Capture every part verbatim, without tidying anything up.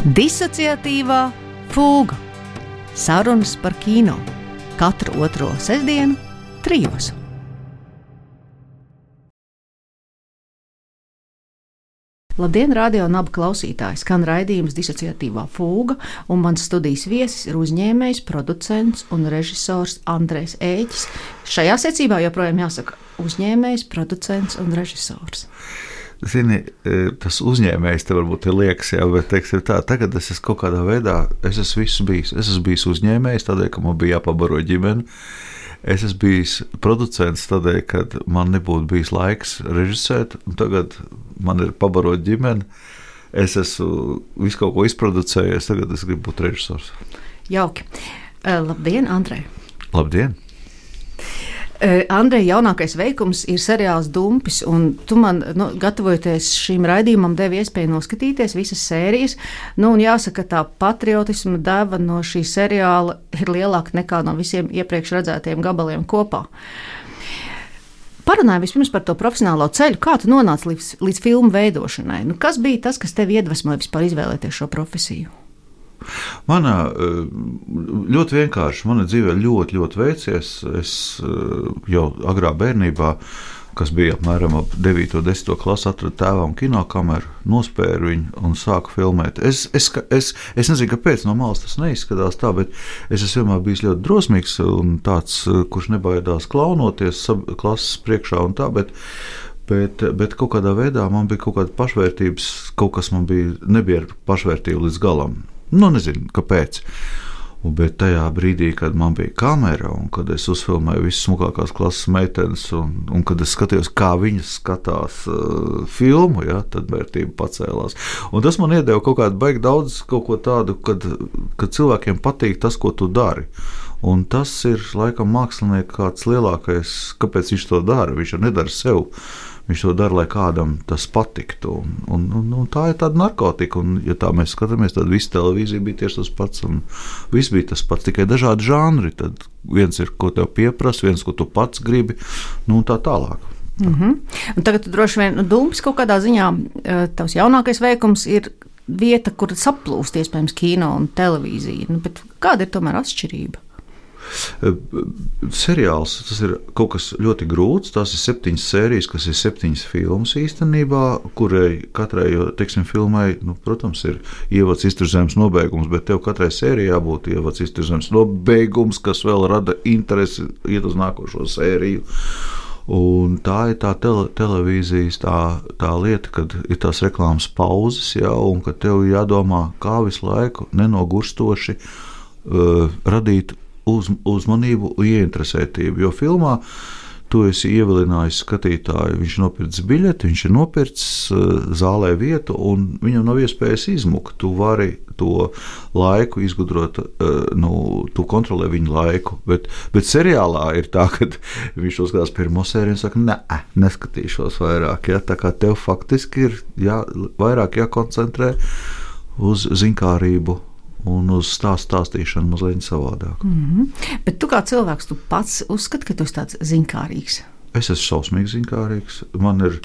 Disociatīvā fūga. Sarunas par kino. Katru otro sestdienu, trijos. Labdien, radio un abu klausītāji! Skan raidījums Disociatīvā fūga, un mans studijas viesis ir uzņēmējs, producents un režisors Andrejs Ēķis. Šajā secībā joprojām jāsaka uzņēmējs, producents un režisors. Zini, tas uzņēmējs te varbūt ir liekas, jā, bet teiksim tā, tagad es esmu kaut kādā veidā, es esmu visu bijis. Es esmu bijis uzņēmējs, tādēļ, ka man bija jāpabaro ģimeni. Es esmu bijis producents tādēļ, ka man nebūtu bijis laiks režisēt, un tagad man ir pabarot ģimeni. Es esmu visu kaut ko izproducējies, tagad es gribu būt režisors. Jauki. Labdien, Andrej! Labdien! Andrej, jaunākais veikums ir seriāls Dumpis, un tu man, nu, gatavojoties šīm raidījumam, devi iespēju noskatīties visas sērijas. Nu, un jāsaka, tā patriotisma deva no šī seriāla ir lielāka nekā no visiem iepriekš redzētiem gabaliem kopā. Parunājam vispirms par to profesionālo ceļu. Kā tu nonāci līdz, līdz filmu veidošanai? Nu, kas bija tas, kas tevi iedvesmoja vispār izvēlēties šo profesiju? Manā ļoti vienkārši, mana dzīvē ļoti, ļoti veicies. Es jau agrā bērnībā, kas bija apmēram ap devīto, desmito klasi, atradu tēvam kinokameru, nospēru viņu un sāku filmēt. Es, es, es, es nezinu, kāpēc no malas tas neizskatās tā, bet es esmu vienmēr bijis ļoti drosmīgs un tāds, kurš nebaidās klaunoties klases priekšā un tā, bet Bet, bet kaut kādā veidā man bija kaut kāda pašvērtības, kaut kas man bija, nebija ar pašvērtību līdz galam. Nu, nezinu, kāpēc. Un, bet tajā brīdī, kad man bija kamera un kad es uzfilmēju visas smukākās klases meitenes un, un kad es skatījos, kā viņas skatās uh, filmu, ja, tad vērtība pacēlās. Un tas man iedeva kaut kādu baigi daudz kaut ko tādu, kad, kad cilvēkiem patīk tas, ko tu dari. Un tas ir, laikam, mākslinieks kāds lielākais, kāpēc viņš to dara. Viņš jau nedara sev. Viņš to dara, lai kādam tas patiktu. Un, un, un, un tā ir tāda narkotika. Un, ja tā mēs skatāmies, tad visa televīzija bija tieši tas pats. Un viss bija tas pats, tikai dažādi žanri. Tad viens ir, ko tev pieprasa, viens, ko tu pats gribi, nu un tā tālāk. Mm-hmm. Un tagad tu droši vien nu, Dumpis kaut kādā ziņā, tavs jaunākais veikums ir vieta, kur saplūst iespējams kino un televīzija. Nu, bet kāda ir tomēr atšķirība? Seriāls, tas ir kaut kas ļoti grūts. Tās ir septiņas sērijas, kas ir septiņas filmas īstenībā, kurai katrai, teiksim, filmai, nu, protams, ir ievads, izturzemes, nobeigums, bet tev katrai sērijai jābūt ievads, izturzemes, nobeigums, kas vēl rada interesi iet uz nākošo sēriju. Un tā ir tā tele, televīzijas tā, tā lieta, kad ir tās reklāmas pauzes, jā, un kad tev jādomā, kā visu laiku nenogurstoši uh, radīt Uz, uzmanību un ieinteresētību, jo filmā tu esi ievilinājis skatītāju, viņš nopircis biļeti, viņš ir nopircis uh, zālē vietu un viņam nav iespējas izmukt. Tu vari to laiku izgudrot, uh, nu, tu kontrolē viņu laiku, bet, bet seriālā ir tā, ka viņš to skatās pirmo sēriju un saka, ne, neskatīšos vairāk, ja? Tā kā tev faktiski ir jā, vairāk jākoncentrē uz zinkārību un uz stāstu stāstīšanu mazliet savādāk. Mm-hmm. Bet tu kā cilvēks, tu pats uzskati, ka tu esi tāds zinkārīgs? Es esmu šausmīgi zinkārīgs. Man ir,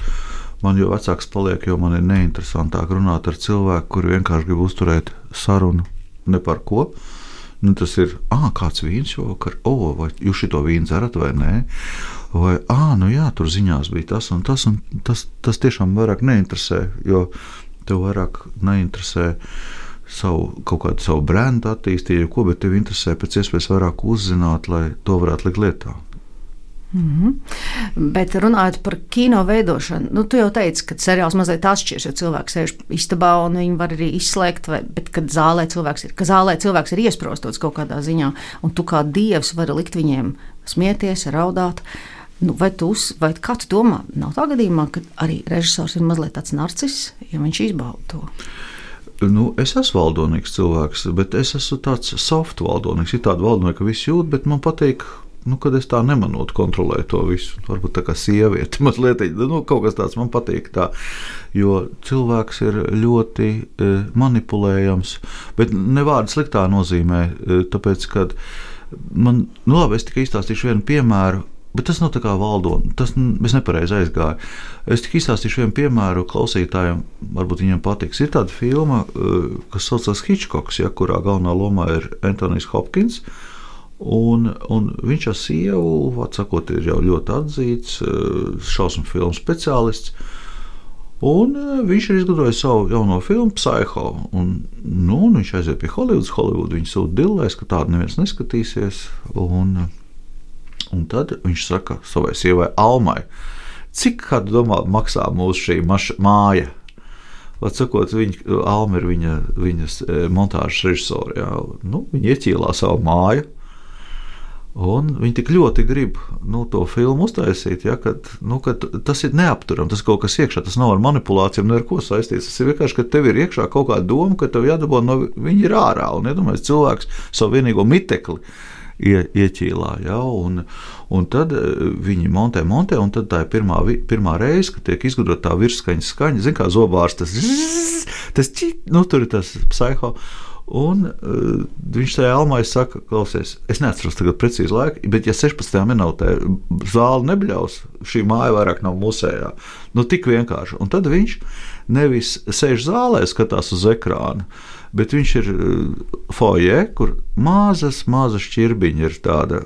man jo vecāks paliek, jo man ir neinteresantāk runāt ar cilvēku, kuri vienkārši grib uzturēt sarunu ne par ko. Nu, tas ir, ā, kāds vīns šovakar, o, vai jūs šito vīnu dzerat vai nē? Vai, ā, nu jā, tur ziņās bija tas un tas, un tas, tas tiešām vairāk neinteresē, jo tev vairāk neinteresē savu, kaut kādu savu brendu attīstīju, ko, bet tev interesē pēc iespējas vairāk uzzināt, lai to varētu likt lietā. Mm-hmm. Bet runājot par kino veidošanu, nu, tu jau teici, ka seriāls mazliet atšķirs, jo cilvēks sēž istabā un viņi var arī izslēgt, vai, bet kad zālē cilvēks ir, ka zālē cilvēks ir iesprostots kaut kādā ziņā, un tu kā dievs vari likt viņiem smieties, raudāt. Nu, vai tu, vai kā tu domā, nav tā gadījumā, ka arī režisors ir mazliet tāds narciss, ja viņš izbauda to? Nu, es esmu valdonīgs cilvēks, bet es esmu tāds soft valdonīgs. Ir tāda valdonīga, ka viss jūt, bet man patīk, nu, kad es tā nemanot kontrolēju to visu. Varbūt tā kā sieviete mazliet, nu, kaut kas tāds man patīk tā, jo cilvēks ir ļoti e, manipulējams, bet ne vārdu sliktā nozīmē, e, tāpēc, kad man, nu labi, es tikai izstāstīšu vienu piemēru. Bet tas nav tā kā valdot, tas es nepareizi aizgāju. Es tik izstāstīšu vienu piemēru klausītājiem, varbūt viņiem patiks. Ir tāda filma, kas saucas Hitchcocks, ja, kurā galvenā lomā ir Anthonijs Hopkins, un, un viņš ar sievu, atsakot, ir jau ļoti atzīts šausmu filmu speciālists, un viņš ir izgudrojis savu jauno filmu Psycho, un, nu, un viņš aiziet pie Hollywoods, Hollywood viņu sūta dillēs, ka tādu neviens neskatīsies, un Un tad viņš saka savai sievai Almai, cik kādu domā maksā mūsu šī maša, māja? Vat sakot, viņa, Alma ir viņa, viņas montāžas režisori. Jā. Nu, viņa ieķīlā savu māju, un viņi tik ļoti grib nu, to filmu uztaisīt, ja, ka, nu, ka tas ir neapturam, tas kaut kas iekšā, tas nav ar manipulācijām, ne ar ko saistīts. Tas ir vienkārši, ka tev ir iekšā kaut kāda doma, ka tev jādabā no viņa ir ārā, un iedomājies cilvēks savu vienīgo mitekli Ie, ieķīlā, ja, un, un tad viņi montē, montē, un tad tā ir pirmā, pirmā reize, kad tiek izgudrota tā virsskaņas skaņa, zin kā zobārs, tas zzz, tas čīt, nu tur ir tas Psycho, un uh, viņš tajā Almai saka, klausies, es neatceros tagad precīzi laiku, bet ja sešpadsmitajā minūtē zāli nebļaus, šī māja vairāk nav musējā, nu tik vienkārši, un tad viņš nevis sēž zālē, skatās uz ekrānu, bet viņš ir foje, kur mazas, mazas šķirbiņa ir tāda,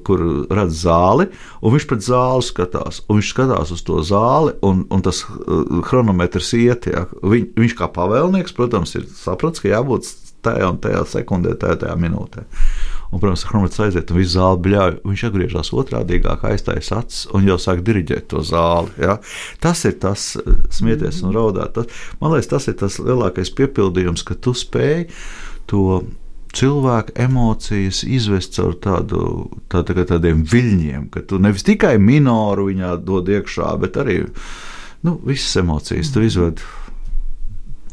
kur redz zāli, un viņš pret zāli skatās, un viņš skatās uz to zāli, un, un tas chronometrs iet, ja. Viņ, viņš kā pavēlnieks, protams, ir saprats, ka jābūt tajā un tajā sekundē, tajā, tajā minūtē. Un, protams, chronometrs aiziet, un visu zāli bļauj, viņš atgriežās otrādīgāk, aiztais acis, un jau sāk diriģēt to zāli. Ja? Tas ir tas smieties un raudāt. Tas, man liekas, tas ir tas lielākais piepildījums, ka tu spēj to cilvēku emocijas izvest caur tādu, tā, tā, tādiem viļņiem, ka tu nevis tikai minoru viņā dod iekšā, bet arī nu, visas emocijas tu izved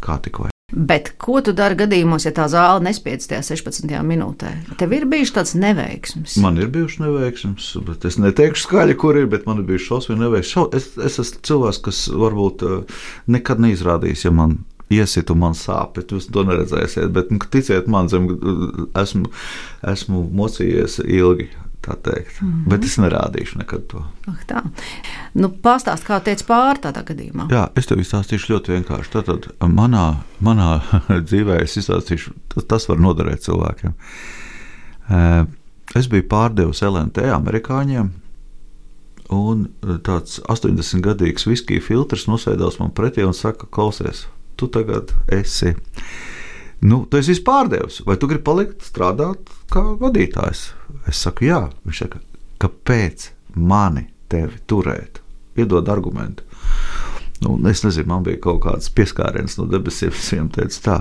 kā tik vai. Bet ko tu dari gadījumos, ja tā zāle nespiedz tajā sešpadsmitajā minūtē? Tev ir bijuši tāds neveiksms? Man ir bijuši neveiksms, bet es neteikšu skaļi, kur ir, bet man ir bijuši šausmīgi neveiksms. Es, es esmu cilvēks, kas varbūt nekad neizrādīs, ja man iesit un man sāp, bet jūs to neredzēsiet. Bet ticiet man, zem, esmu, esmu mocījies ilgi. Tā teikt. Mm-hmm. Bet es nerādīšu nekad to. Ah, tā. Nu, pastāst, kā teica pār tādā gadījumā. Jā, es tev izstāstīšu ļoti vienkārši. Tātad manā, manā dzīvē es izstāstīšu, tas, tas var noderēt cilvēkiem. Es biju pārdevis L N T amerikāņiem, un tāds astoņdesmitgadīgs viskija filtrs nosēdās man pretī un saka, klausies, tu tagad esi, nu, tu esi vispārdevis, vai tu gribi palikt strādāt kā vadītājs? Es saku, jā. Viņš saka, kāpēc mani tevi turēt? Iedod argumentu. Nu, es nezinu, man bija kaut kāds pieskāriens no debesīm, es viņam teicu tā,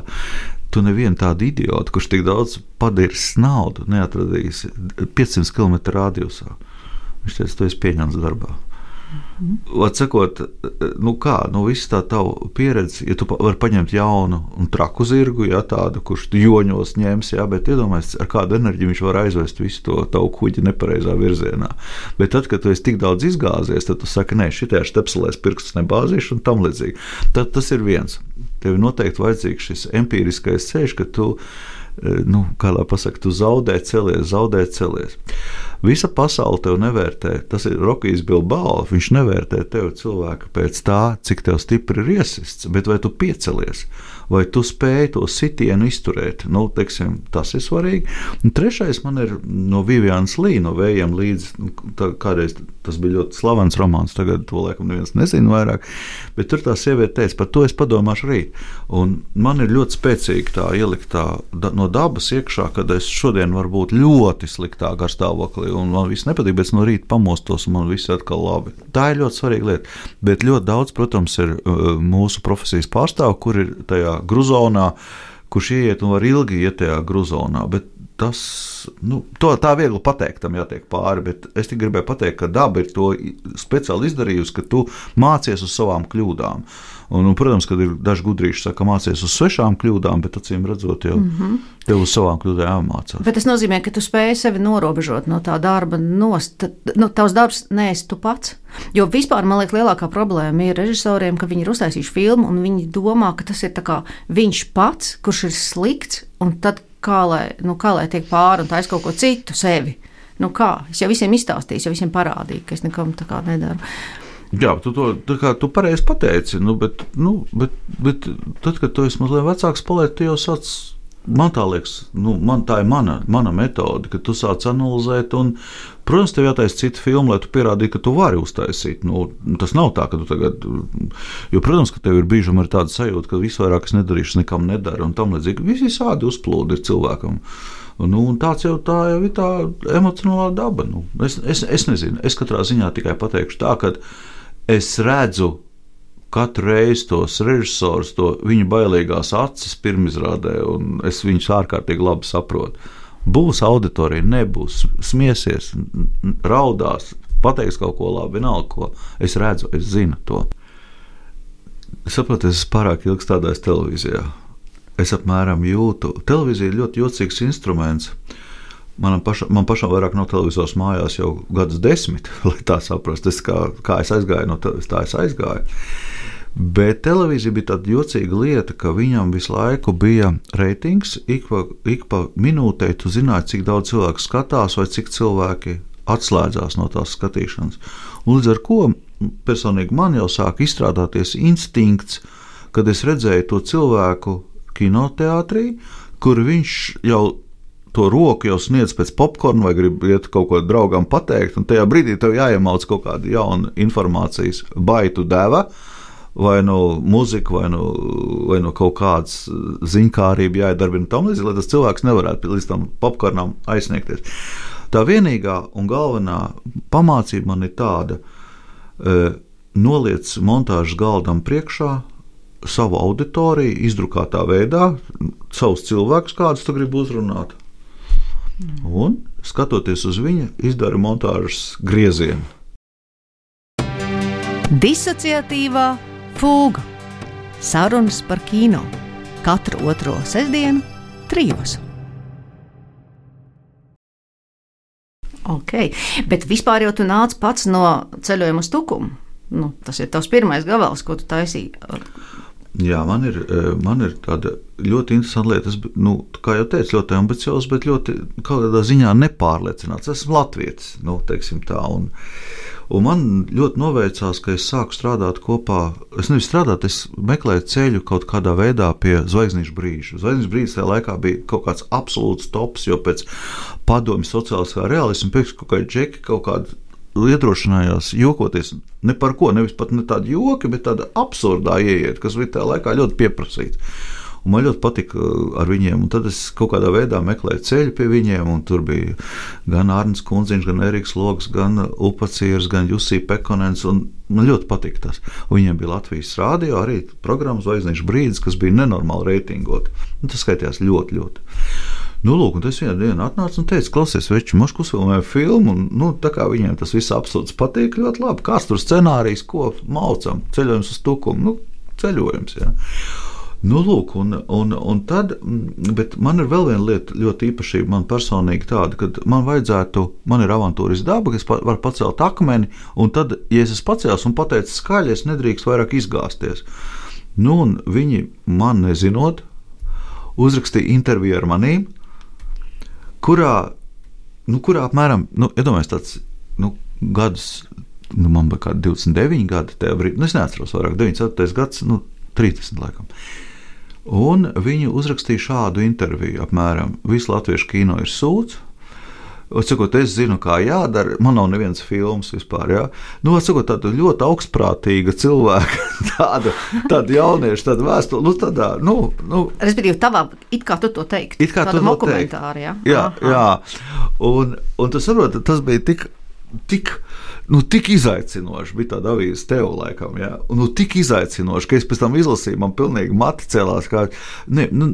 tu nevienu tādu idiotu, kurš tik daudz padirs naudu, neatradīs piecsimt kilometru radiusā. Viņš teica, tu esi pieņemts darbā. Atsakot, nu kā, nu viss tā tava pieredze, ja tu vari paņemt jaunu un traku zirgu, ja tādu, kurš tu joņos ņems, ja, bet iedomājies, ar kādu enerģiju viņš var aizvest visu to tavu kuģi nepareizā virzienā. Bet tad, kad tu esi tik daudz izgāzies, tad tu saki, nē, šitajā štepselēs pirkstus nebāzīšu un tam līdzīgi. Tad tas ir viens. Tev noteikti vajadzīgs šis empīriskais ceļš, ka tu, nu, kā lai pasaka, tu zaudē celies, zaudē celies. Visa pasaule tev nevērtē, tas ir Rokijs Bilbao, viņš nevērtē tev cilvēku pēc tā, cik tev stipri ir iesists, bet vai tu piecelies, vai tu spēj to sitienu izturēt, nu, teiksim, tas ir svarīgi. Un trešais man ir no Vivianas Lī, no Vējiem līdz, tā, kādreiz tas bija ļoti slavens romāns, tagad to laikam neviens nezina vairāk, bet tur tā sieviete teica, par to es padomāšu rīt. Un man ir ļoti spēcīgi tā ieliktā da, no dabas iekšā, kad es šodien varu būt ļoti sliktā garstāvoklī, un man viss nepatīk, bet no rīta pamostos, un man viss ir atkal labi. Tā ir ļoti svarīga lieta, bet ļoti daudz, protams, ir uh, mūsu profesijas pārstāvu, kur ir tajā gruzonā, kurš ieiet un var ilgi iet tajā gruzonā, bet tas, nu, to tā viegli pateikt, tam jātiek pāri, bet es tik gribēju pateikt, ka daba ir to speciāli izdarījusi, ka tu mācies uz savām kļūdām. Un, un, protams, kad ir daži gudrīši saka, mācies uz svešām kļūdām, bet acīm redzot, jau mm-hmm. tev uz savām kļūdām jāmācās. Bet tas nozīmē, ka tu spēj sevi norobežot no tā darba nost. Nu, tavs darbs neesi tu pats. Jo vispār, man liekas, lielākā problēma ir režisoriem, ka viņi ir uztaisījuši filmu un viņi domā, ka tas ir tā kā viņš pats, kurš ir slikts, un tad kā lai, nu, kā lai tiek pāri un taisa kaut ko citu sevi. Nu kā? Es jau visiem izstāstīju, jau visiem parādīju, ka es nekam tā kā nedaru. Jā, tu to tā kā tu pareizi pateici, nu, bet, nu, bet, bet tad, kad tu esi mazliet vecāks paliec, tu jau sāc, man tā liekas, nu, man, tā ir mana, mana metode, ka tu sāc analizēt un, protams, tev jātaisa cita filma, lai tu pierādītu, ka tu vari uztaisīt. Nu, tas nav tā, ka tu tagad, jo, protams, ka tev ir bīžam ar tādu sajūtu, ka visvairāk es nedarīšu, nekam nedara un tam līdzīgi. Visi sādi uzplūdi ir cilvēkam. Nu, un tāds jau tā jau ir tā emocionālā daba. Nu, es, es, es nezinu, es katrā ziņā tikai pateikšu tā, ka es redzu katru reizi tos režisors, to viņa bailīgās acis pirmizrādē, un es viņus ārkārtīgi labi saprotu. Būs auditorija, nebūs, smiesies, raudās, pateiks kaut ko labi, vienalga ko. Es redzu, es zinu to. Es saprotu, es esmu pārāk ilgi strādājis televīzijā. Es apmēram jūtu. Televīzija ir ļoti jocīgs instruments. Man pašam, man pašam vairāk nav televizors mājās jau gadus desmit, lai tā saprastu. Es kā, kā es aizgāju, no tā, tā es aizgāju. Bet televīzija bija tāda jocīga lieta, ka viņam visu laiku bija reitings, ik pa, ik pa minūtei tu zināji, cik daudz cilvēku skatās vai cik cilvēki atslēdzās no tās skatīšanas. Un līdz ar ko personīgi man jau sāk izstrādāties instinkts, kad es redzēju to cilvēku kinoteātrī, kur viņš jau to roku jau sniedz pēc popkorna vai grib iet kaut ko draugam pateikt, un tajā brīdī tev jāiemauc kaut kāda jauna informācijas baitu deva, vai no muzika, vai no, vai no kaut kādas ziņkārība jāiedarbina tam līdzi, lai tas cilvēks nevarētu līdz tam popkornam aizsniegties. Tā vienīgā un galvenā pamācība man ir tāda, e, noliec montāžas galdam priekšā savu auditoriju, izdrukātā veidā, savus cilvēkus, kādus tu gribi uzrunāt. Un, skatoties uz viņa, izdara montāžas griezienu. Disociatīvā fūga. Sarunas par kino. Katru otro sestdienu trijos. Ok, bet vispār jau tu nāc pats no Ceļojuma uz Tukumu. Nu, tas ir tavs pirmais gabals, ko tu taisīji. Jā, man ir, man ir tāda ļoti interesanta lieta. Es, nu, kā jau teicu, ļoti ambiciozs, bet ļoti kaut kādā ziņā nepārliecināts. Esmu latvietis, nu, teiksim tā. Un, un man ļoti noveicās, ka es sāku strādāt kopā. Es nevis strādāt, es meklēju ceļu kaut kādā veidā pie Zvaigznīšu brīža. Zvaigznīšu brīdis tajā laikā bija kaut kāds absolūts tops, jo pēc padomju sociāliskā realisma pēc kaut kādi džeki, kaut kādi iedrošinājās jokoties ne par ko, nevis pat ne tādi joki, bet tāda absurdā ieiet, kas bija tajā laikā ļoti pieprasīts. Un man ļoti patika ar viņiem, un tad es kaut kādā veidā meklēju ceļu pie viņiem, un tur bija gan Arnis Kundziņš, gan Eriks Logs, gan Upacieris, gan Jusī Pekonens, un man ļoti patika tas. Un viņiem bija Latvijas rādio arī programmas Zvaigznīšu brīdis, kas bija nenormāli reitingot. Un tas skaitījās ļoti, ļoti. Nu, lūk, un es vienā dienā atnācu un teicu, klausies, veči, mums uzfilmēja filmu, un, nu, tā kā viņiem tas viss absurds patīk ļoti labi. Kāds tur scenārijs, ko maucam? Ceļojums uz Tukumu, nu, ceļojums, jā. Nu, lūk, un, un, un tad, bet man ir vēl viena lieta ļoti īpašība, man personīgi tāda, kad man vajadzētu, man ir avantūras daba, ka es varu pacelt akmeni, un tad, ja es esmu pacēlis un pateicis skaļi, es nedrīkst vairāk izgāzties. Nu, un viņi man nezinot, uzrakstīja interviju ar manīm, kurā, nu, kurā apmēram, nu, iedomājies tāds, nu, gadus, nu, man bija kādi divdesmit deviņi gadi tajā brīdī, nu, es neatceros vairāk, deviņdesmit ceturtais gads, nu, trīsdesmit laikam. Un viņi uzrakstīja šādu interviju apmēram, visu latviešu kino ir sūds, Atsakot, es zinu, kā jādara, man nav nevienas filmas vispār, jā. Nu, atsakot, tāda ļoti augstprātīga cilvēka, tāda, tāda jaunieša, tāda vēstule, nu, tādā, nu, nu. Respektīvi, tavā, it kā tu to teikt, it kā tāda tu to dokumentāra, jā. Jā, Aha. jā. Un, un tu saproti, tas bija tik, tik, nu, tik izaicinoši, bija tāda avīze tev laikam, jā. Un, nu, tik izaicinoši, ka es pēc tam izlasīju, man pilnīgi mati celās, kā, ne, nu,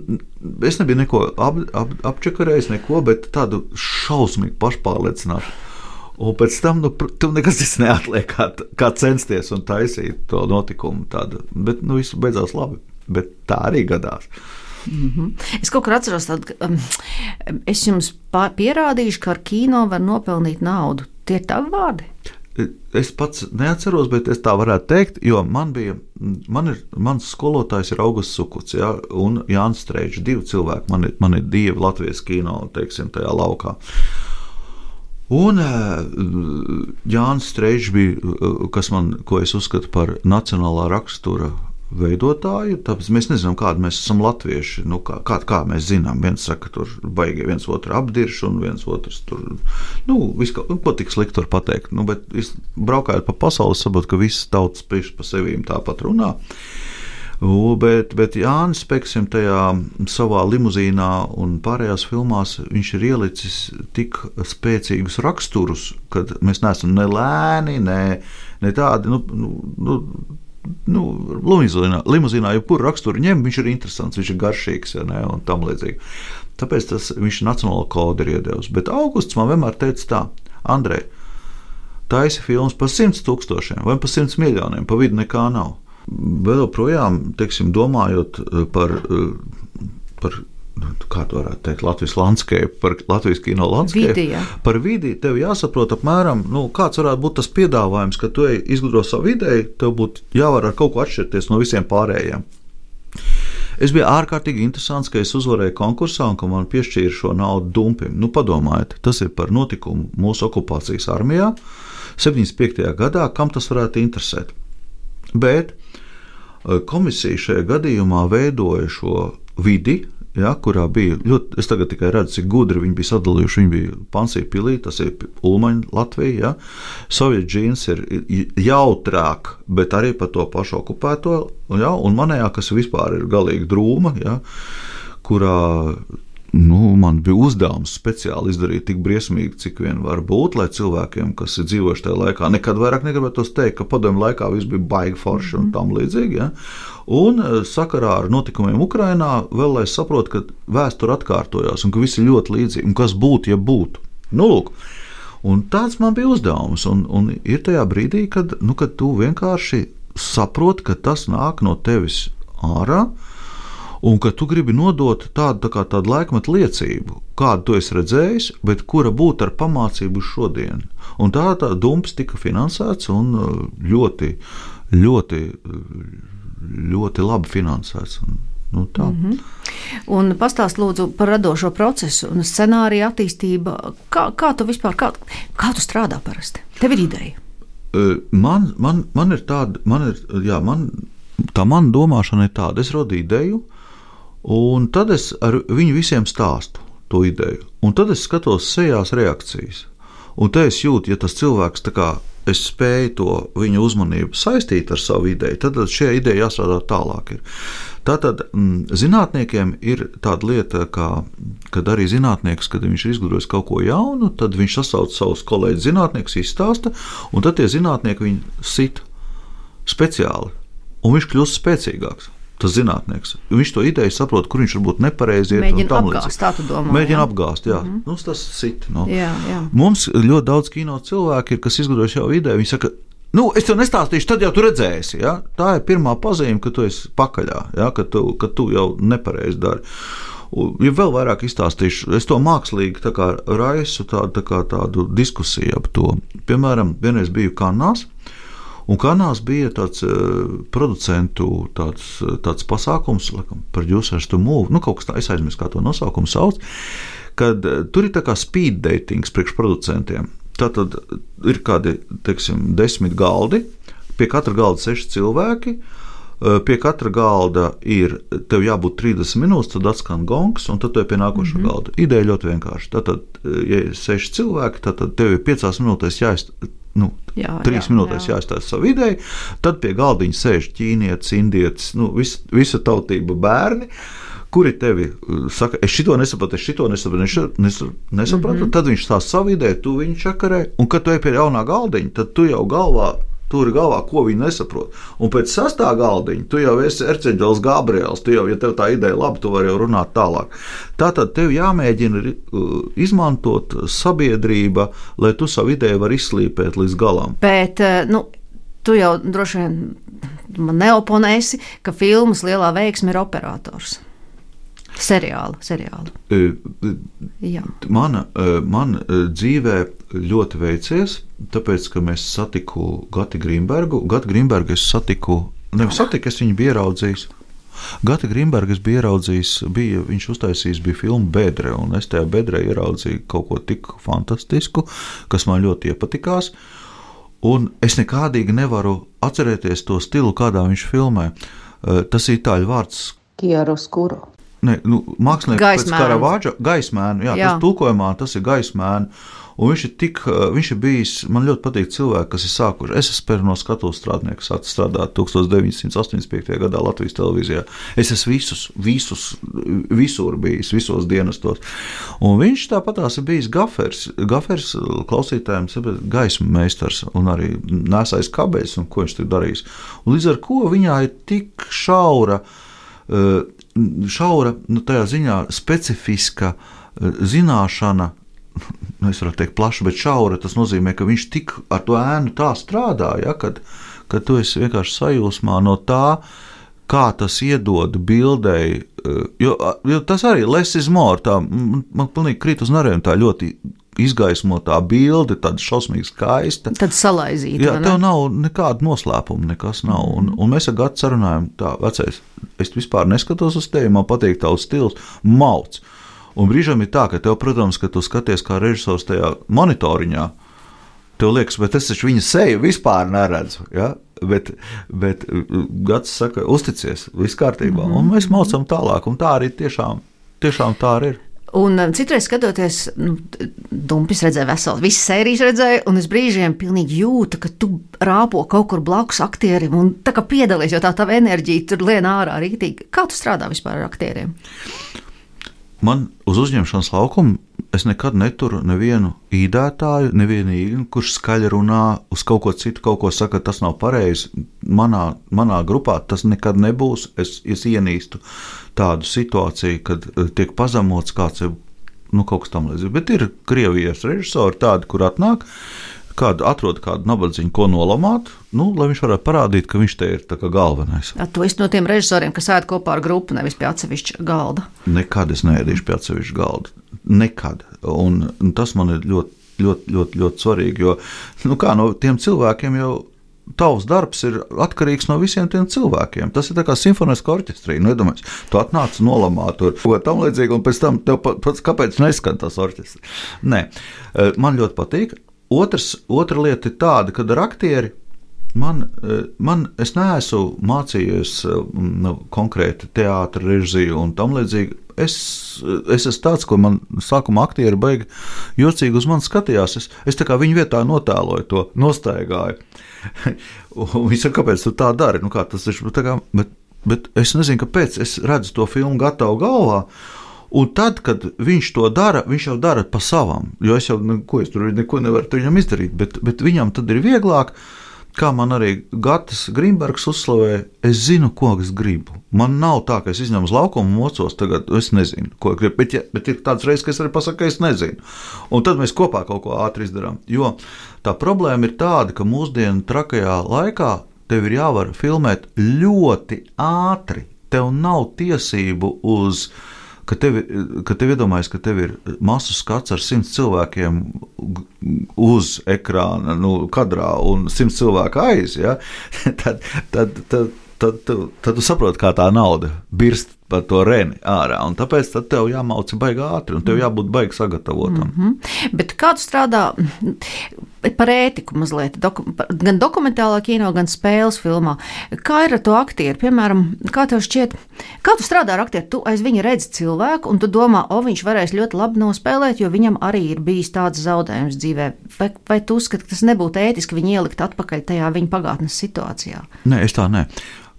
es nebiju neko ap, ap, apčakarējis, neko, bet tādu šausmīgi pašpārliecinātu. Un pēc tam, nu, tu nekas tas neatliek, kā, kā censties un taisīt to notikumu tādu, bet, nu, visu beidzās labi, bet tā arī gadās. Mm-hmm. Es kaut kur atceros tādu, um, es jums pierādīšu, ka ar kino var nopelnīt naudu. Tie ir tavi vārdi? Es pats neatceros, bet es tā varētu teikt, jo man bija, man ir, mans skolotājs ir Augusts Sukuts, ja, un Jānis Streičs, divi cilvēki, man ir, man ir dievi Latvijas kino, teiksim, tajā laukā. Un Jānis Streičs bija, kas man, ko es uzskatu par nacionālā rakstura veidotāju, tāpēc mēs nezinām, kādi mēs esam latvieši, nu, kā, kā, kā mēs zinām, viens saka, tur baigi viens otru apdirš, un viens otrs tur, nu, viss, ko, ko tik slikti var pateikt, nu, bet braukājot pa pasauli, saprot, ka visas tautas priekš pa sevīm tāpat runā, u, bet, bet Jānis, pēksim, tajā savā limuzīnā un pārējās filmās, viņš ir ielicis tik spēcīgus raksturus, kad mēs neesam ne lēni, ne, ne tādi, nu, nu, Nu, limuzīnā, limuzīnā jebkuru raksturu ņem, viņš ir interesants, viņš ir garšīgs, ja ne, un tam līdzīgi. Tāpēc tas, viņš nacionālo kodu ir iedevis. Bet Augusts man vienmēr teica tā, Andrej, taisi filmas par simts tūkstošiem vai par simts miljoniem, pa vidu nekā nav. Vēl projām, teiksim, domājot par, par kā to varētu teikt, Latvijas landscape, par Latvijas kino landscape, vidi, ja. Par vidi tev jāsaprot apmēram, nu, kāds varētu būt tas piedāvājums, ka tu izgudro savu ideju, tev būtu jāvar ar kaut ko atšķirties no visiem pārējiem. Es biju ārkārtīgi interesants, ka es uzvarēju konkursā un ka man piešķīra šo naudu Dumpim. Nu, padomājiet, tas ir par notikumu mūsu okupācijas armijā septiņdesmit piektajā gadā, kam tas varētu interesēt. Bet komisija šajā gadījumā veidoja šo vidi, ja, kurā bija ļoti, es tagad tikai redzu, cik gudri viņi bija sadalījuši, viņi bija Pansija pilī, tas ir Ulmaņa Latvija, ja. Sovietu džīns ir jautrāk, bet arī par to pašu okupēto, ja, un manējā, kas vispār ir galīgi drūma, ja, kurā, nu, man bija uzdevums speciāli izdarīt tik briesmīgi, cik vien var būt, lai cilvēkiem, kas ir dzīvojuši tajā laikā, nekad vairāk negribētos teikt, ka padomju laikā viss bija baigi forši un tam līdzīgi, ja. Un sakarā ar notikumiem Ukrainā vēl, lai saprotu, ka vēsture atkārtojās un ka viss ir ļoti līdzīgi, un kas būtu, ja būtu. Nu, lūk, un tāds man bija uzdevums, un, un ir tajā brīdī, kad, nu, kad tu vienkārši saproti, ka tas nāk no tevis ārā, un ka tu gribi nodot tādu, tā kā tādu laikmetu liecību, kādu tu esi redzējis, bet kura būtu ar pamācību šodien. Un tā, tā Dumps tika finansēts un ļoti, ļoti, ļoti labi finansēts. Nu, tā. Mm-hmm. Un pastāst lūdzu par radošo procesu un scenāriju attīstību. Kā, kā tu vispār, kā, kā tu strādā parasti? Tev ir ideja? Man, man, man ir tāda, man ir, jā, man, tā mana domāšana ir tāda, es rodu ideju, un tad es ar viņu visiem stāstu to ideju, un tad es skatos sejās reakcijas, un te es jūtu, ja tas cilvēks tā kā es spēju to viņa uzmanību saistīt ar savu ideju, tad šie ideja jāstrādā tālāk ir. Tātad m, zinātniekiem ir tāda lieta, kā, kad arī zinātnieks, kad viņš ir izgudrojis kaut ko jaunu, tad viņš sasauc savus kolēģus zinātniekus, izstāsta, un tad tie zinātnieki viņu sit speciāli, un viņš kļūst spēcīgāks. Tas zinātnieks. Viņš to ideju saprot, kur viņš varbūt nepareizi iet. Mēģina apgāst, tā tu domā. Mēģina jā? apgāst, jā. Mm-hmm. Nu, tas sit. No. Jā, jā. Mums ļoti daudz kino cilvēki ir, kas izgudrojuši jau ideju. Viņi saka, nu, es tev nestāstīšu, tad jau tu redzēsi. Ja? Tā ir pirmā pazīme, ka tu esi pakaļā, ja? ka, tu, ka tu jau nepareizi dari. Ja vēl vairāk izstāstīšu, es to mākslīgi tā kā raisu tādu, tā kā tādu diskusiju ap to. Piemēram, vienreiz biju Kannās, un Kannās bija tāds uh, producentu tāds, tāds pasākums, laikam, Producers to Move, nu kaut kas tā, es aizmirsu, kā to nosaukumu sauc, kad uh, tur ir tā kā speed datings priekš producentiem. Tātad ir kādi, teiksim, desmit galdi, pie katra galda seši cilvēki, uh, pie katra galda ir, tev jābūt trīsdesmit minūtes, tad atskan gongs, un tad tu ir pie nākošā mm-hmm. galda. Ideja ļoti vienkārši. Tātad, ja ir seši cilvēki, tad tev ir piecās minūtēs jāizt, nu, jā, trīs jā, minūtēs jā. jāizstāsta savu ideju, tad pie galdiņa sēž ķīnietis, indietis, nu, vis, visa tautība bērni, kuri tevi saka, es šito nesapratu, es šito nesapratu, es šito nesapratu, mm-hmm. tad viņš stāsta savu ideju, tu viņu čakarē, un kad tu ej pie jaunā galdiņa, tad tu jau galvā, turi galvā, ko viņi nesaprot. Un pēc sastā galdiņa, tu jau esi Erceņģels Gabriels, tu jau, ja tev tā ideja labi, tu vari jau runāt tālāk. Tātad tev jāmēģina izmantot sabiedrība, lai tu savu ideju var izslīpēt līdz galam. Bet, nu, tu jau droši vien man neoponēsi, ka filmas lielā veiksme ir operators. Seriālu, seriālu. Jā. Mana, man dzīvē ļoti veicies, tāpēc, ka mēs satiku Gati Grīnbergu. Gati Grīnbergu es satiku, nevis satiku, es viņu biju ieraudzījis. Gati Grimberga es biju ieraudzījis, bija, viņš uztaisījis bija filmu Bedre, un es tajā Bedrē ieraudzīju kaut ko tik fantastisku, kas man ļoti iepatikās, un es nekādīgi nevaru atcerēties to stilu, kādā viņš filmē. Tas ir itāļu vārds Chiaroscuro. Ne, nu, mākslinieks pēc Karavadža, gaismēnu, jā, jā. Tas tulkojumā, tas ir gaismēnu, un viņš ir tik, viņš ir bijis, man ļoti patīk cilvēki, kas ir sākuši, es esmu no skatuves strādnieku, sācis strādāt tukstovs deviņsimt astoņdesmit piektajā gadā Latvijas televīzijā, es esmu visus, visus, visur bijis, visos dienestos, un viņš tāpatās ir bijis gafers, gafers klausītājiem, gaismu meistars, un arī nesais kabeļs, un ko viņš tik darījis, un līdz ar ko viņā ir tik šaura, šaura, nu tajā ziņā specifiska zināšana, es varu teikt plaši, bet šaura, tas nozīmē, ka viņš tik ar to ēnu tā strādā, ja, kad, kad tu esi vienkārši sajūsmā no tā, kā tas iedod bildei, jo, jo tas arī less is more, tā, man pilnīgi krīt uz narēm tā ļoti izgaismotā bilde, tāda šausmīgi skaista. Tad salaizīta. Jā, tev nav nekāda noslēpuma, nekas nav. Un, un mēs ar Gatu sarunājam, tā, vecais, es vispār neskatos uz tevi, man patīk tavs stils, mauc. Un brīžam ir tā, ka tev, protams, ka tu skaties kā režisors tajā monitoriņā, tev liekas, bet es taču viņa seju vispār neredzu, ja? bet, bet Gats saka, uzticies, viss kārtībā, mm-hmm. un mēs maucam tālāk, un tā arī tiešām, tiešām tā arī ir. Un citreiz skatoties, nu, Dumpis redzēja veselu, visas sērijas redzēja, un es brīžiem pilnīgi jūtu, ka tu rāpo kaut kur blakus aktierim, un tā kā piedalies, jo tā tava enerģija tur lien ārā rītīgi. Kā tu strādā vispār ar aktieriem? Man uz uzņemšanas laukumu es nekad neturu nevienu īdētāju, nevienu īgnu, kurš skaļi runā uz kaut ko citu, kaut ko saka, tas nav pareizi. Manā, manā grupā tas nekad nebūs. Es, es ienīstu tādu situāciju, kad tiek pazemots kāds, nu, kaut kas tam līdzīgs. Bet ir Krievijas režisori tādi, kur atnāk, kādu atrod kādu nabadzīņu, ko nolamāt, nu, lai viņš varētu parādīt, ka viņš te ir tā kā galvenais. A, tu esi no tiem režisoriem, kas ēd kopā ar grupu, nevis pie atsevišķa galda? Nekad es neēdīšu pie atsevišķa galda. Nekad. Un, un tas man ir ļoti, ļoti, ļoti, ļoti svarīgi, jo, nu kā, no tiem cilvēkiem jau tavs darbs ir atkarīgs no visiem tiem cilvēkiem. Tas ir tā kā simfoniska orķestrī. Nu, iedomājies, tu atnāc nolamāt tur, ko tam līdzīgi, un pēc tam tev pats, kāpēc neskan tas orķestri? Nē, man ļoti patīk. Otrs, otra lieta ir tāda, kad ar aktieri man, man es neesmu mācījies nu, konkrēti teātra režiju un tam līdzīgi. Es, es esmu tāds, ko man sākumā aktieri baigi jocīgi uz mani skatījās. Es, es tā kā viņu vietā notēloju to, nostaigāju. Un viņi saka, kāpēc tu tā dari? Nu, kā tas ir, tā kā, bet, bet es nezinu, kāpēc. Es redzu to filmu gatavu galvā. Un tad, kad viņš to dara, viņš jau dara pa savam, jo es jau neko, es tur neko nevaru viņam izdarīt, bet, bet viņam tad ir vieglāk, kā man arī Gatis Grimbergs uzslavē, es zinu, ko es gribu. Man nav tā, ka es izņemu uz laukumu mocos, tagad es nezinu, ko gribu, bet, ja, bet ir tāds reizes, ka es arī pasaku, ka es nezinu. Un tad mēs kopā kaut ko ātri izdarām, jo tā problēma ir tāda, ka mūsdienu trakajā laikā tev ir jāvar filmēt ļoti ātri, tev nav tiesību uz ka tev, ka tev iedomājas, ka tev ir masu skats ar simts cilvēkiem uz ekrāna, nu, kadrā un simts cilvēku aiz, ja? tad, tad, tad, tad, tad, tad tu saproti, kā tā nauda birst par to reni ārā, un tāpēc tad tev jāmauca baigi ātri, un tev jābūt baigi sagatavotam. Mm-hmm. Bet kā tu strādā par ētiku mazliet, doku, gan dokumentālā kino, gan spēles filmā? Kā ir ar to aktieru? Piemēram, kā tev šķiet, kā tu strādā ar aktieru? Tu aiz viņa redzi cilvēku, un tu domā, o, viņš varēs ļoti labi nospēlēt, jo viņam arī ir bijis tāds zaudējums dzīvē. Vai, vai tu uzskati, ka tas nebūtu ētiski viņu ielikt atpakaļ tajā viņa pagātnes situācijā? Nē, es tā nē.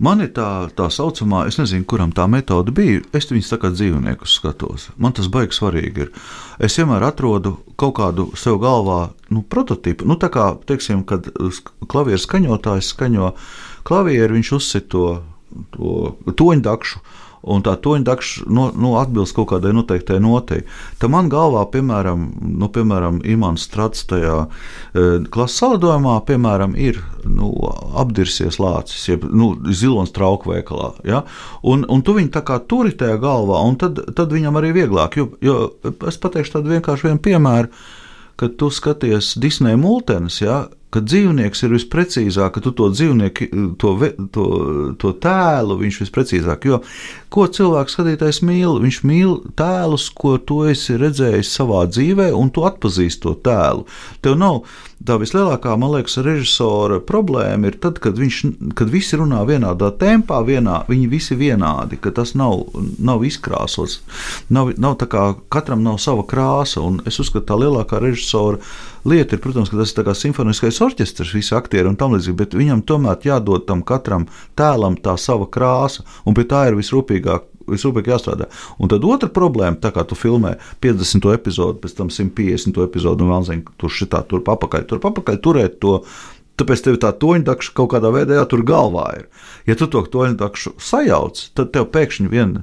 Man ir tā, tā saucamā, es nezinu, kuram tā metode bija, es viņus tā kā dzīvniekus skatos. Man tas baigi svarīgi ir. Es vienmēr atrodu kaut kādu sev galvā, nu, prototipu. Nu, tā kā, teiksim, kad klavieru skaņotājs skaņo klavieru, viņš uzsit to, to toņdakšu, un tā toņdakša no, no atbilst kaut kādai noteiktai notei. Tā man galvā, piemēram, nu, piemēram Imants Strats tajā e, klases salidojumā, piemēram, ir nu, apdirsies lācis, jeb nu, zilonis trauku veikalā. Ja? Un, un tu viņu tā kā turi tajā galvā, un tad, tad viņam arī vieglāk. Jo, jo es pateikšu tādu vienkārši vienu piemēru, kad tu skaties Disneja multenes, ja? ka dzīvnieks ir visprecīzāk, ka tu to dzīvnieku, to, to, to tēlu, viņš visprecīzāk, jo ko cilvēks skatītājs mīl? Viņš mīl tēlus, ko tu esi redzējis savā dzīvē, un tu atpazīsti to tēlu. Tev nav tā vislielākā, man liekas, režisora problēma ir tad, kad, viņš, kad visi runā vienādā tempā, vienā, viņi visi vienādi, ka tas nav, nav izkrāsots, nav, nav tā kā katram nav sava krāsa, un es uzskatu, tā lielākā režisora lieta ir, protams, ka tas ir tā kā simfoniskais orķestrs, visi aktieri un tam līdzīgi, bet viņam tomēr jādod tam katram tēlam tā sava krāsa, un pie tā ir visrūpīgāk, visrūpīgāk jāstrādā. Un tad otra problēma, tā kā tu filmē piecdesmito epizodu, pēc tam simt piecdesmito epizodu, un vēl zini, tur šitā, tur papakaļ, tur papakaļ turēt to, tāpēc tev tā toņdakša kaut kādā veidā jā, tur galvā ir. Ja tu to toņdakšu sajauc, tad tev pēkšņi vien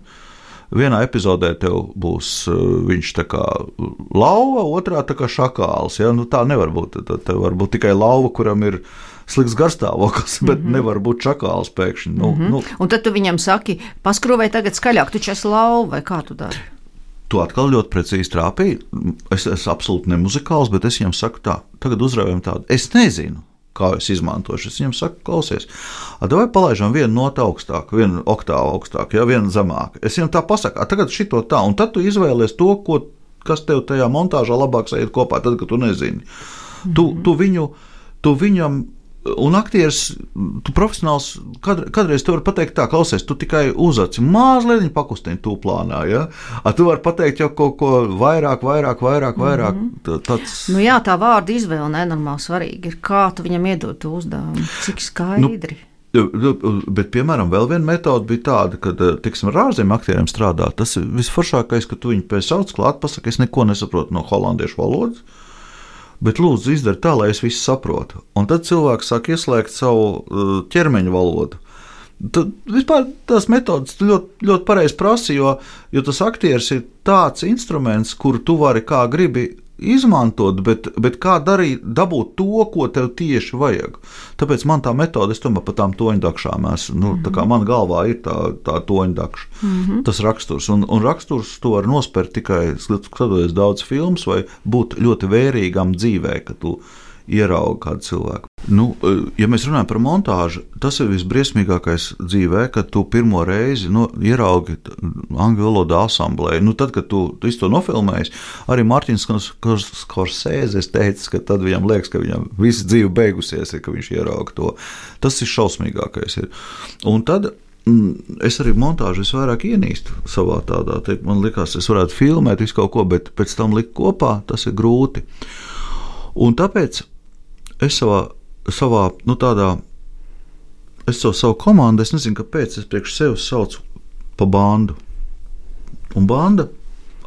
vienā epizodē tev būs uh, viņš tā kā lauva, otrā tā kā šakāls. Ja? Nu, tā nevar būt. Tad tev var būt tikai lauva, kuram ir slikts garstāvoklis, bet mm -hmm. nevar būt šakāls pēkšņi. Nu, mm -hmm. nu. Un tad tu viņam saki, paskrūvēj tagad skaļāk, tu esi lauva, vai kā tu dari? Tu atkal ļoti precīzi trāpīji. Es esmu absolūti nemuzikāls, bet es viņam saku tā, tagad uzraujam tādu. Es nezinu, kā es izmantošu. Es viņam saku, klausies, vai palaižam vienu notu augstāk, vienu oktāvu augstāk, ja vienu zemāk. Es viņam tā pasaku, tagad šito tā, un tad tu izvēlies to, ko, kas tev tajā montāžā labāk sajiet kopā, tad, kad tu nezini. Mm-hmm. Tu, tu, viņu, tu viņam, un aktieris, tu profesionāls, kad, kādreiz tu vari pateikt tā, klausies, tu tikai uzaci mazliet pakustini tu plānā, ja? A, tu vari pateikt jau kaut ko vairāk, vairāk, vairāk, vairāk. Mm-hmm. Tāds... Nu jā, tā vārda izvēle nenormāli svarīga ir, kā tu viņam iedod to uzdevumu, cik skaidri. Nu, bet, piemēram, vēl viena metode bija tāda, ka, tiksim, ar ārzemju aktieriem strādā, tas ir visforšākais, ka tu viņu pēc sauc klāt, pasaka, es neko nesaprotu no holandiešu valodas, bet lūdzu izdari tā, lai es visu saprotu. Un tad cilvēks sāk ieslēgt savu ķermeņa valodu. Tad vispār tās metodas ļoti, ļoti pareizi prasa, jo, jo tas aktieris ir tāds instruments, kuru tu vari kā gribi izmantot, bet, bet kā darīt, dabūt to, ko tev tieši vajag. Tāpēc man tā metode, es tomēr par tām toņdakšām esmu, nu, mm-hmm. tā kā man galvā ir tā, tā toņdakša, mm-hmm. tas raksturs. Un, un raksturs tu vari nospērt tikai, skatoties daudz filmas, vai būt ļoti vērīgam dzīvē, ka tu ieraugi kādu cilvēku. Nu, ja mēs runājam par montāžu, tas ir visbriesmīgākais dzīvē, kad tu pirmo reizi nu, ieraugi angļu valodā asamblēju. Nu, tad, kad tu, tu to nofilmējies, arī Mārtiņš Skorsēzes teica, ka tad viņam liekas, ka viņam visa dzīve beigusies, ka viņš ierauga to. Tas ir šausmīgākais. Ir. Un tad es arī montāžu visvairāk ienīstu savā tādā, te, man likās, es varētu filmēt visu kaut ko, bet pēc tam likt kopā, tas ir grūti. Un tāpēc es savā, savā nu tādā, es savu, savu komandu, es nezinu, kāpēc, es priekš sevis saucu pa bandu. Un banda,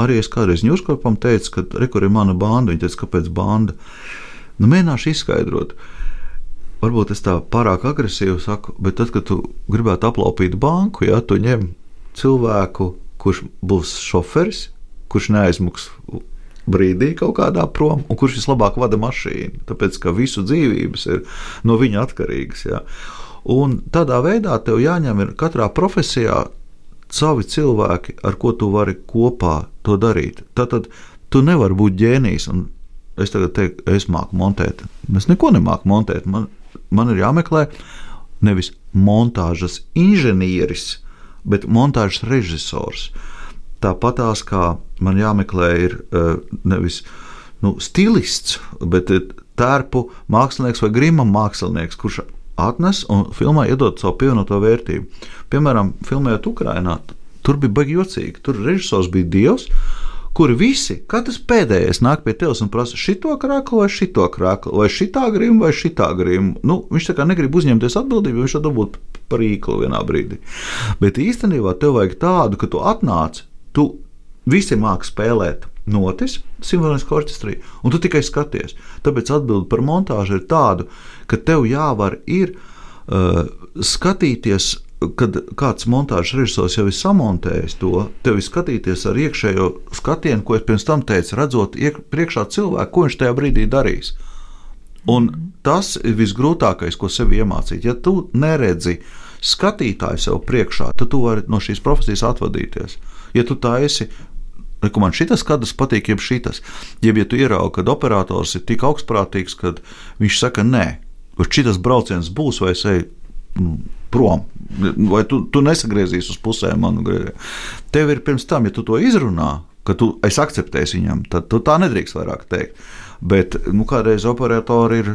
arī es kādreiz ņūrskorpam teicu, ka rekur ir mana banda, viņi teica, kāpēc banda. Nu, mēģināšu izskaidrot. Varbūt es tā pārāk agresīvi saku, bet tad, kad tu gribētu aplaupīt banku, ja, tu ņem cilvēku, kurš būs šoferis, kurš neaizmuks brīdī kaut kādā prom, un kurš vislabāk vada mašīnu, tāpēc, ka visu dzīvības ir no viņa atkarīgas. Jā. Un tādā veidā tev jāņem ir katrā profesijā savi cilvēki, ar ko tu vari kopā to darīt. Tātad tu nevari būt ģēnijs, un es tagad teiktu, es māku montēt. Es neko nemāku montēt. Man, man ir jāmeklē nevis montāžas inženieris, bet montāžas režisors. Tāpatās kā man jāmeklē ir nevis nu, stilists, bet tērpu mākslinieks vai grima mākslinieks, kurš atnes un filmā iedod savu pievienoto vērtību. Piemēram, filmējot Ukrainā, tur bija baigi jocīgi. Tur režisors bija dievs, kuri visi, katrs pēdējais nāk pie tevis un prasa šito krāklu vai šito krāklu, vai šitā grima vai šitā grima. Nu, viņš tā kā negrib uzņemties atbildību, viņš tad dabūt par īklu vienā brīdī. Bet īstenībā tev vajag tādu, ka tu atnāc, tu visi māki spēlēt notis simfoniskā orķestrī, un tu tikai skaties. Tāpēc atbildi par montāžu ir tādu, ka tev jāvar ir uh, skatīties, kad kāds montāžas režisors jau ir samontējis to, tev ir skatīties ar iekšējo skatienu, ko es pirms tam teicu, redzot iek, priekšā cilvēku, ko viņš tajā brīdī darīs. Un tas ir visgrūtākais, ko sev iemācīt. Ja tu neredzi skatītāju sev priekšā, tad tu vari no šīs profesijas atvadīties. Ja tu tā esi ka man šitas kadrs patīk, jeb šitas. Jeb, ja tu ieraugi, kad operators ir tik augstprātīgs, kad viņš saka, nē, kur šitas brauciens būs, vai es eju prom, vai tu, tu nesagriezīsi uz pusēm manu griezienu. Tev ir pirms tam, ja tu to izrunā, ka tu esi akceptējis viņam, tad tu tā nedrīkst vairāk teikt. Bet nu, kādreiz operatori ir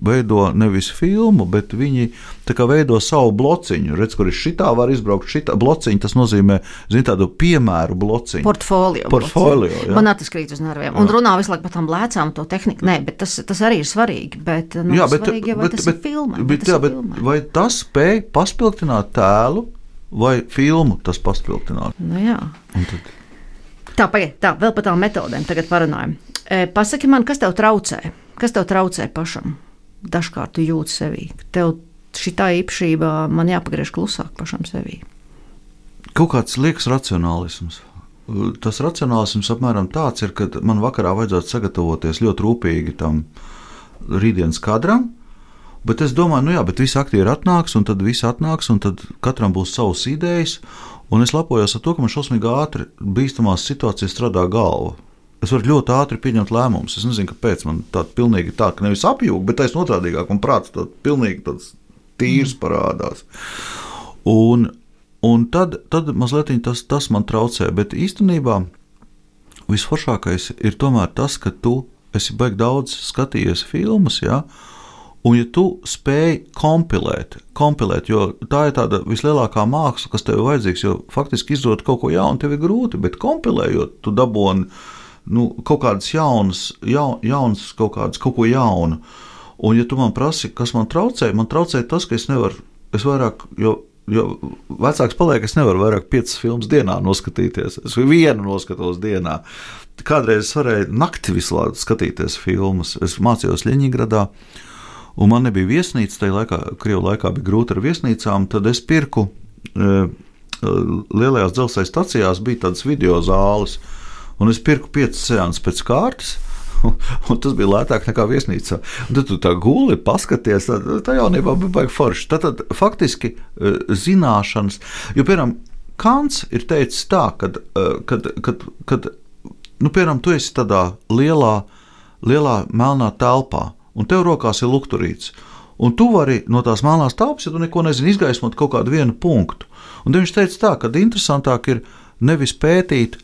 veido nevis filmu, bet viņi tā kā veido savu blociņu. Redz, kur ir šitā var izbraukt šitā blociņu, tas nozīmē, zin, tādu piemēru blociņu. Portfolio. Portfolio, jā. Man tas krīt uz nerviem. Un jā. Runā visu laiku par tām lēcām to tehniku. Nē, bet tas, tas arī ir svarīgi. Bet, nu, jā, bet, svarīgi, vai bet, tas bet, ir filmē. Bet, jā, bet vai tas spēj paspilgtināt tēlu vai filmu tas paspilgtināt? Nu jā. Tad... Tā, pagaid, tā, vēl par tām metodēm tagad parunājam. E, pasaki man, kas tev traucē? Kas tev traucē pašam? Dažkārt tu jūti sevī. Tev šitā īpašībā man jāpagriež klusāk pašam sevī. Kaut kāds liekas racionālisms. Tas racionālisms apmēram tāds ir, ka man vakarā vajadzētu sagatavoties ļoti rūpīgi tam rītdienas kadram, bet es domāju, nu jā, bet visi aktieri atnāks, un tad visi atnāks, un tad katram būs savas idejas, un es lepojos ar to, ka man šausmīgi ātri bīstamās situācijas strādā galva. Es varu ļoti ātri pieņemt lēmumus. Es nezinu, kāpēc man tā pilnīgi tā, ka nevis apjūg, bet taisn otrādīgāk, man prāts tā pilnīgi tāds tīrs parādās. Un, un tad, tad mazliet tas, tas man traucē, bet īstenībā visforšākais ir tomēr tas, ka tu esi baigi daudz skatījies filmas, ja? Un ja tu spēj kompilēt, kompilēt, jo tā ir tāda vislielākā māksla, kas tev ir vajadzīgs, jo faktiski izdot kaut ko jaunu tev ir grūti, bet kompilējot, tu daboni nu, kaut kādas jaunas, jaun, jaunas kaut kādas, kaut ko jaunu. Un ja tu man prasi, kas man traucē, man traucē tas, ka es nevaru, es vairāk, jo, jo vecāks paliek, es nevaru vairāk piecas filmas dienā noskatīties. Es vienu noskatos dienā. Kādreiz es varēju nakti visu laiku skatīties filmas. Es mācījos Ļeņingradā, un man nebija viesnīca, tajā laikā, Krievu laikā bija grūti ar viesnīcām, tad es pirku, e, lielajās dzelzceļa stacijās bija tādas video zāles, un es pirku piecas seanses pēc kārtas, un, un tas bija lētāk nekā viesnīcā. Un tad tu tā guli, paskaties, tā, tā jaunībā bija baigi forši. Tātad faktiski e, zināšanas, jo, piemēram, Kants ir teicis tā, kad, kad, kad, kad nu, piemēram, tu esi tādā lielā, lielā melnā telpā, un tev rokās ir lukturīts. Un tu vari no tās melnās telpas, ja tu neko nezini, izgaismot kaut kādu vienu punktu. Un viņš teica tā, ka interesantāk ir nevis pētīt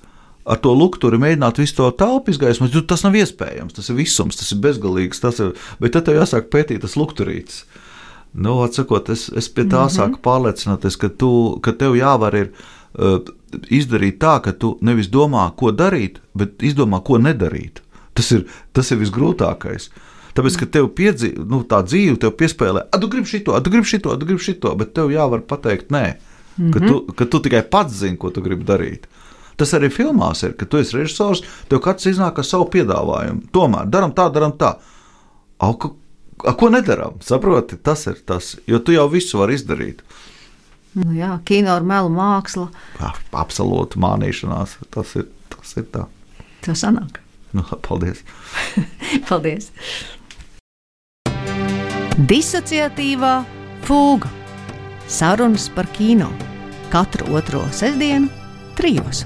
ar to lukturi, mēģināt visu to telpu izgaismot, jo tas nav iespējams, tas ir visums, tas ir bezgalīgs, tas ir, bet tad tev jāsāk pētīt tas lukturīts. Nu, atsakot, es, es pie tā mm-hmm. sāku pārliecināties, ka, tu, ka tev jāvar ir uh, izdarīt tā, ka tu nevis domā, ko darīt, bet izdomā, ko nedarīt. Tas ir, tas ir visgrūtākais. Tāpēc, ka tev piedzi, nu, tā dzīve tev piespēlē, a, tu gribi šito, a, tu gribi šito, a, tu gribi šito, bet tev jāvar pateikt nē, mm-hmm. ka, tu, ka tu tikai pats zini, ko tu gribi darīt. Tas arī filmās ir, ka tu esi režisors, tev katrs iznāk ar savu piedāvājumu. Tomēr, daram tā, daram tā. A, ko, a, ko nedaram? Saproti, tas ir tas, jo tu jau visu vari izdarīt. Nu jā, kino ar melu māksla. Jā, absolūti mānīšanās, tas ir, tas ir tā. Tā sanāk. Nu, paldies. Paldies. Disociatīvā fūga. Sarunas par kino. Katru otro sestdienu trijos.